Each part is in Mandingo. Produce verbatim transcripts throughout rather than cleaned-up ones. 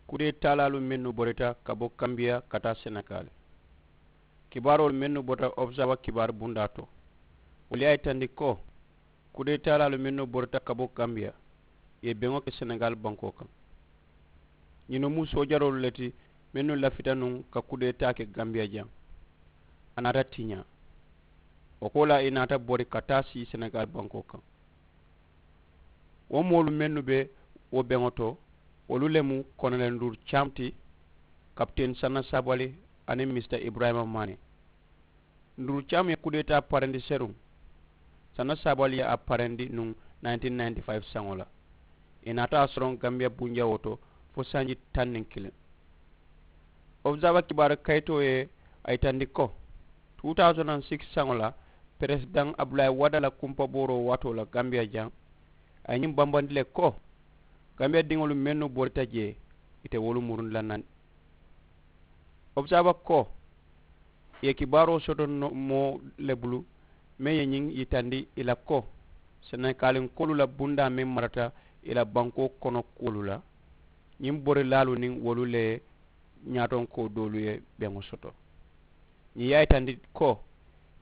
Kudeetaalaalu mennu borita ka bo kambiya ka taa senegaali. Kibaaroolu mennu bota observa kibaaru bundaa to, wolu ye a yitandi ko kudeetaalaalu mennu borita ka bo kambiya, ì ye beŋo ke senegaali bankoo kaŋ. Ñinnu mu soojaroolu le ti mennu lafita nuŋ ka kudeetaa ke kambiya jaŋ. A naata tiñaa. Wo koolaa ì naata bori ka taa sii senegaali bankoo kaŋ. Wo moolu mennu be wo beŋo to, wolu le mu kononeli nduuru caamu ti, kapiteni sanna saabali, aniŋ misita iburayima maani. Nduuru caamu ye kudeetaa parendi seruŋ, sanna saabali ye a parendi nuŋ nineteen ninety five saŋo la. Ì naata a soroŋ kambiya bunjawoo to fo sanji taŋ niŋ kiliŋ. Observa kibaaru kayitoo ye a yitandi ko two thousand and six saŋo la, peresidaŋ abdulayi wada la kumpabooroo waatoo la kambiya jaŋ, a ye ñiŋ bambandi le ko kambiya diŋolu mennu borita jee, ì te wolu murundi la naŋ. Observa ko ì ye kibaaroo soto moo le bulu meŋ ye ñiŋ yitandi ì la ko senegalinkoolu la bundaa meŋ marata ì la bankoo kono kuwolu la, ñiŋ borilaalu niŋ wolu le ye ñaatonkoo doolu ye beŋo soto. Ñiŋ ye a yitandi ko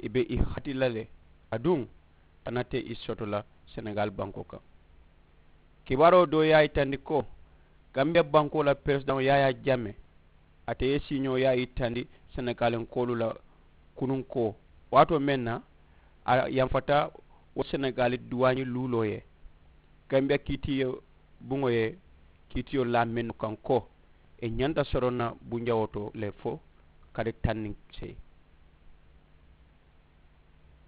ì be ì hati la le, aduŋ a nate ì soto la senegaali bankoo kaŋ. Kibaaroo doo ye a yitandi ko gambiya bankoo la peresidaŋo yaayaa jamme, ate ye siiñoo ye a yitandi senegalinkoolu la kununkoo waatoo meŋ na a yanfata wo senegaali duwaañi luuloo ye, gambiya kiitiyo buŋo ye kiitiyo laa mennu kaŋ ko ì ñanta soroŋ na bunjawoo to le fo kari taŋ niŋ seyi.